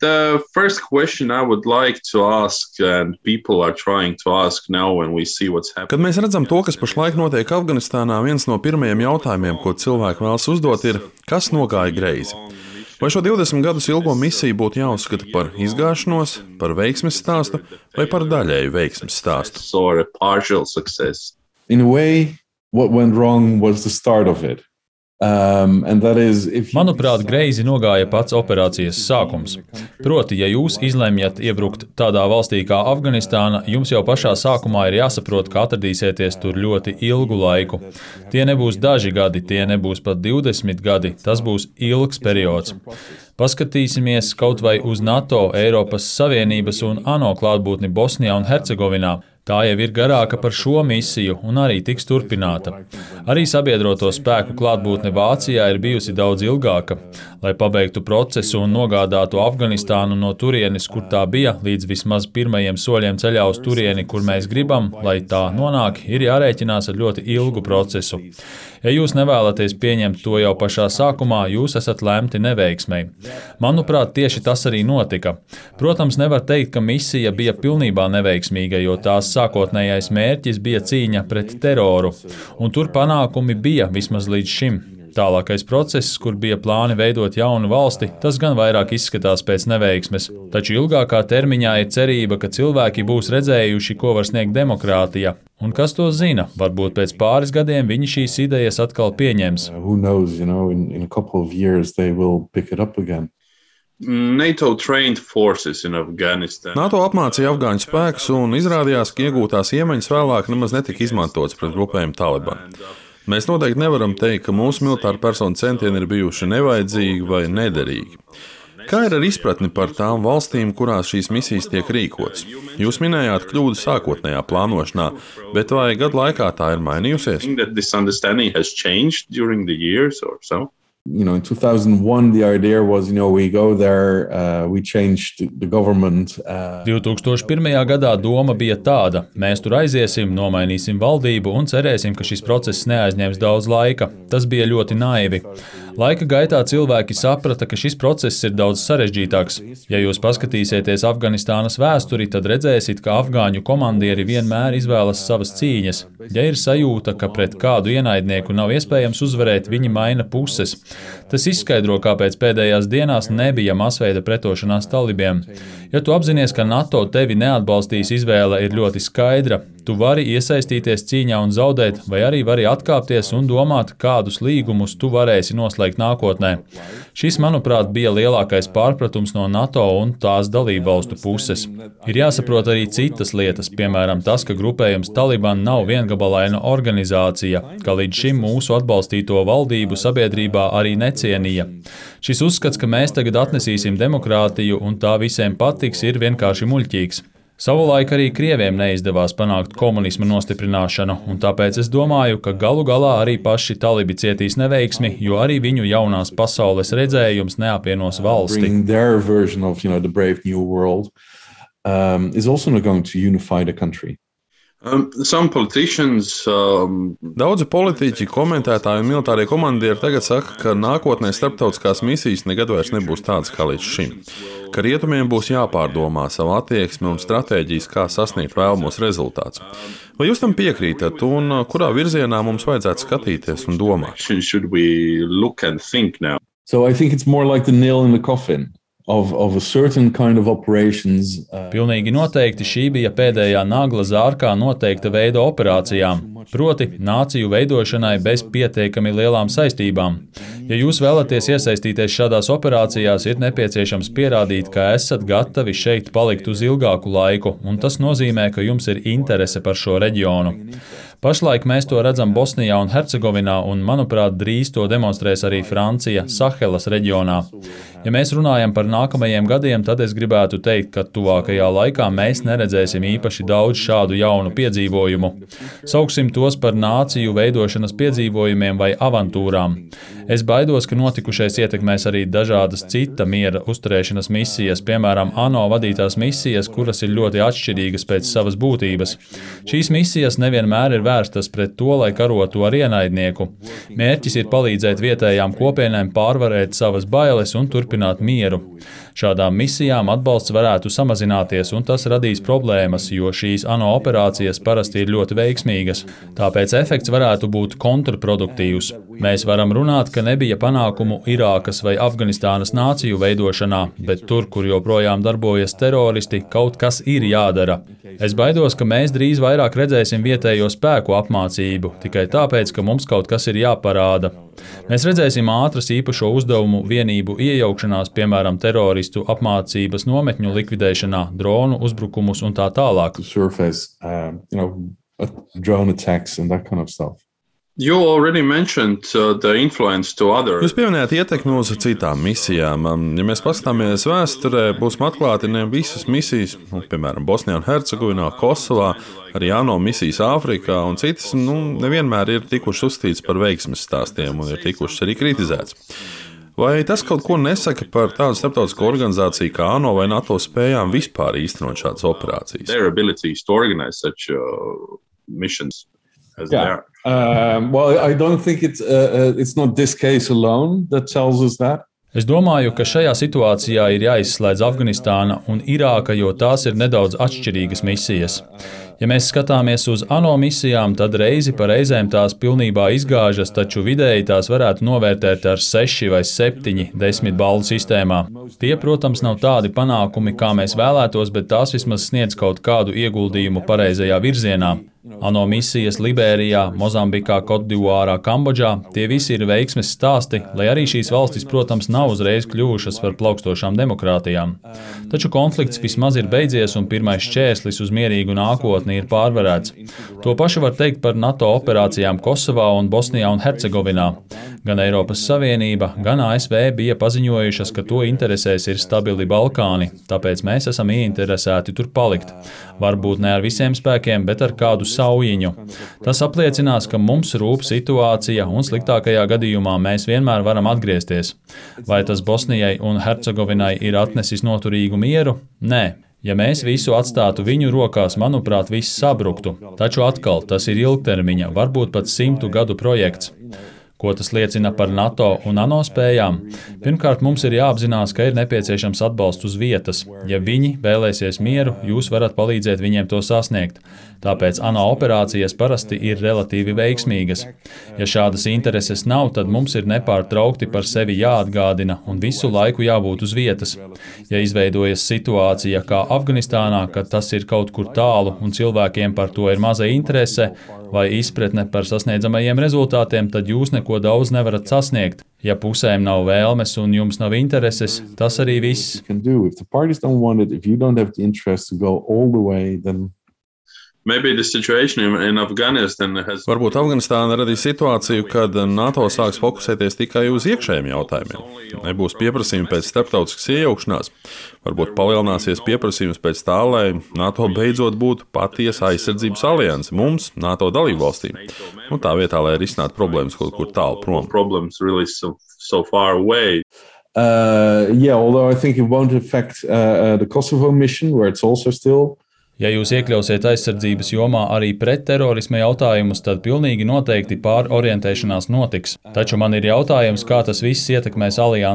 The first question I would like to ask, and people are trying to ask now when we see what's happening. Kad mēs redzam to, kas pašlaik notiek Afganistānā, viens no pirmajiem jautājumiem, ko cilvēki vēlas uzdot, ir, kas nogāja greizi? Vai šo 20 gadus ilgo misiju būtu jāuzskata par izgāšanos, par veiksmes stāstu vai par daļēju veiksmes stāstu? Or a partial success. In a way, what went wrong was the start of it. Manuprāt, greizi nogāja pats operācijas sākums. Proti, ja jūs izlemjat iebrukt tādā valstī kā Afganistāna, jums jau pašā sākumā ir jāsaprot, ka atradīsieties tur ļoti ilgu laiku. Tie nebūs daži gadi, tie nebūs pat 20 gadi, tas būs ilgs periods. Paskatīsimies kaut vai uz NATO, Eiropas Savienības un ANO klātbūtni Bosnijā un Hercegovinā. Tā jau ir garāka par šo misiju un arī tiks turpināta. Arī sabiedroto spēku klātbūtne Vācijā ir bijusi daudz ilgāka. Lai pabeigtu procesu un nogādātu Afganistānu no turienes, kur tā bija, līdz vismaz pirmajiem soļiem ceļā uz turieni, kur mēs gribam, lai tā nonāk, ir jārēķinās ar ļoti ilgu procesu. Ja jūs nevēlaties pieņemt to jau pašā sākumā, jūs esat lemti neveiksmei. Manuprāt, tieši tas arī notika. Protams, nevar teikt, ka misija bija pilnībā neveiksmīga, jo tās sākotnējais mērķis bija cīņa pret teroru, un tur panākumi bija vismaz līdz šim. Tālākais process, kur bija plāni veidot jaunu valsti, tas gan vairāk izskatās pēc neveiksmes, taču ilgākā termiņā ir cerība, ka cilvēki būs redzējuši, ko var sniegt demokrātija. Un kas to zina, varbūt pēc pāris gadiem viņi šīs idejas atkal pieņems. In a couple of years they will pick it up again. NATO trained forces in Afghanistan. NATO apmācīja afgāņu spēkus un izrādījās, ka iegūtās iemaņas vēlāk nemaz netika izmantotas pret grupējumu Taliban. Mēs noteikti nevaram teikt, ka mūsu militāra personu centieni ir bijuši nevajadzīgi vai nederīgi. Kā ir ar izpratni par tām valstīm, kurās šīs misijas tiek rīkotas? Jūs minējāt kļūdu sākotnējā plānošanā, bet vai gadu laikā tā ir mainījusies? In 2001, the idea was, we go there, we changed the government. 2001. gadā doma bija tāda: mēs tur aiziesim, nomainīsim valdību un cerēsim, ka šis process neaizņems daudz laika. Tas bija ļoti naivi. Laika gaitā cilvēki saprata, ka šis process ir daudz sarežģītāks. Ja jūs paskatīsieties Afganistānas vēsturi, tad redzēsiet, ka afgāņu komandieri vienmēr izvēlas savas cīņas. Ja ir sajūta, ka pret kādu ienaidnieku nav iespējams uzvarēt, viņi maina puses. Tas izskaidro, kāpēc pēdējās dienās nebija masveida pretošanās talibiem. Ja tu apzinies, ka NATO tevi neatbalstīs, izvēle ir ļoti skaidra. Tu vari iesaistīties cīņā un zaudēt, vai arī vari atkāpties un domāt, kādus līgumus tu varēsi noslēgt nākotnē. Šis, manuprāt, bija lielākais pārpratums no NATO un tās dalībvalstu puses. Ir jāsaprot arī citas lietas, piemēram tas, ka grupējums Taliban nav viengabalaina organizācija, ka līdz šim mūsu atbalstīto valdību sabiedrībā arī necienīja. Šis uzskats, ka mēs tagad atnesīsim demokrātiju un tā visiem patiks, ir vienkārši muļķīgs. Savulaik arī Krieviem neizdevās panākt komunisma nostiprināšanu, un tāpēc es domāju, ka galu galā arī paši talibi cietīs neveiksmi, jo arī viņu jaunās pasaules redzējums neapvienos valsti. Daudzi politiķi, komentētāji un militārie komandieri tagad saka, ka nākotnē starptautiskās misijas nekad vairs nebūs tādas kā līdz šim, ka rietumiem būs jāpārdomā savu attieksmi un stratēģijas, kā sasniegt vēlamos rezultātus. Vai jūs tam piekrītat un kurā virzienā mums vajadzētu skatīties un domāt? So I think it's more like the nail in the coffin. Of a certain kind of operations. Pilnīgi noteikti šī bija pēdējā nagla zārkā noteikta veida operācijām, proti nāciju veidošanai bez pietiekami lielām saistībām. Ja jūs vēlaties iesaistīties šādās operācijās, ir nepieciešams pierādīt, ka esat gatavi šeit palikt uz ilgāku laiku, un tas nozīmē, ka jums ir interese par šo reģionu. Pašlaik mēs to redzam Bosnijā un Hercegovinā, un, manuprāt, drīz to demonstrēs arī Francija Sahelas reģionā. Ja mēs runājam par nākamajiem gadiem, tad es gribētu teikt, ka tuvākajā laikā mēs neredzēsim īpaši daudz šādu jaunu piedzīvojumu. Sauksim Nesauksim tos par nāciju veidošanas piedzīvojumiem vai avantūrām. Es baidos, ka notikušais ietekmēs arī dažādas cita miera uzturēšanas misijas, piemēram, ANO vadītās misijas, kuras ir ļoti atšķirīgas pēc savas būtības. Šīs misijas nevienmēr ir vērstas pret to, lai karotu ar ienaidnieku. Mērķis ir palīdzēt vietējām kopienām pārvarēt savas bailes un turpināt mieru. Šādām misijām atbalsts varētu samazināties, un tas radīs problēmas, jo šīs ANO operācijas parasti ir ļoti veiksmīgas. Tāpēc efekts varētu būt kontraproduktīvs. Mēs varam runāt, ka nebija panākumu Irākas vai Afganistānas nāciju veidošanā, bet tur, kur joprojām darbojas teroristi, kaut kas ir jādara. Es baidos, ka mēs drīz vairāk redzēsim vietējo spēku apmācību, tikai tāpēc, ka mums kaut kas ir jāparāda. Mēs redzēsim ātras īpašo uzdevumu vienību iejaukšanās, piemēram, teroristu apmācības nometņu likvidēšanā, dronu uzbrukumus un tā tālāk. Drone attacks and that kind of stuff. You already mentioned the influence to others. Jūs pieminējāt ietekmi uz citām misijām. Ja mēs paskatāmies vēsturē, būsim atklāti, ne visas misijas, piemēram, Bosnijā un Hercegovinā, Kosovā, arī ANO misijas Āfrikā un citas, nevienmēr ir tikušas uzskatītas par veiksmes stāstiem un ir tikušas arī kritizētas. Vai tas kaut ko nesaka par tādu starptautisko organizāciju kā ANO vai NATO spējām vispār īstenot šādas operācijas? Their abilities to organize such missions as they are. Well, I don't think it's not this case alone that tells us that. Es domāju, ka šajā situācijā ir jāizslēdz Afganistāna un Irāka, jo tās ir nedaudz atšķirīgas misijas. Ja mēs skatāmies uz ANO misijām, tad reizi pa reizēm tās pilnībā izgāžas, taču vidēji tās varētu novērtēt ar 6 vai 7 10 balvu sistēmā. Tie, protams, nav tādi panākumi, kā mēs vēlētos, bet tās vismaz sniedz kaut kādu ieguldījumu pareizajā virzienā. ANO misijas Liberijā, Mozambikā, Kotdivuārā, Kambodžā – tie visi ir veiksmes stāsti, lai arī šīs valstis, protams, nav uzreiz kļuvušas par plaukstošām demokrātijām. Taču konflikts vismaz ir beidzies un pirmais šķērslis uz mierīgu nākotni ir pārvarēts. To pašu var teikt par NATO operācijām Kosovā un Bosnijā un Hercegovinā. Gan Eiropas Savienība, gan ASV bija paziņojušas, ka to interesēs ir stabili Balkāni, tāpēc mēs esam ieinteresēti tur palikt. Varbūt ne ar visiem spēkiem, bet ar kādu saujiņu. Tas apliecinās, ka mums rūp situācija un sliktākajā gadījumā mēs vienmēr varam atgriezties. Vai tas Bosnijai un Hercegovinai ir atnesis noturīgu mieru? Nē. Ja mēs visu atstātu viņu rokās, manuprāt, viss sabruktu. Taču atkal tas ir ilgtermiņa, varbūt pat 100 gadu projekts. Ko tas liecina par NATO un ANO spējām? Pirmkārt, mums ir jāapzinās, ka ir nepieciešams atbalsts uz vietas. Ja viņi vēlēsies mieru, jūs varat palīdzēt viņiem to sasniegt. Tāpēc ANO operācijas parasti ir relatīvi veiksmīgas. Ja šādas intereses nav, tad mums ir nepārtraukti par sevi jāatgādina un visu laiku jābūt uz vietas. Ja izveidojas situācija kā Afganistānā, kad tas ir kaut kur tālu un cilvēkiem par to ir maza interese vai izpratne par sasniedzamajiem rezultātiem, tad jūs neko daudz nevarat sasniegt. Ja pusēm nav vēlmes un jums nav intereses, tas arī viss. Maybe the situation in Afghanistan has... Varbūt Afganistāna radīs situāciju, kad NATO sāks fokusēties tikai uz iekšējiem jautājumiem. Nebūs pieprasījumi pēc starptautiskas iejaukšanās. Varbūt palielināsies pieprasījums pēc tā, lai NATO beidzot būtu patiesa aizsardzības alianse mums, NATO dalībvalstīm. Tā vietā, lai risinātu problēmas kaut kur tālu prom. Problems really so far away. Although I think it won't affect the Kosovo mission, where it's also still... Ja jūs iekļausiet aizsardzības jomā arī pretterorisma jautājumus, tad pilnīgi noteikti pārorientēšanās notiks. Taču man ir jautājums, kā tas viss ietekmēs aliansi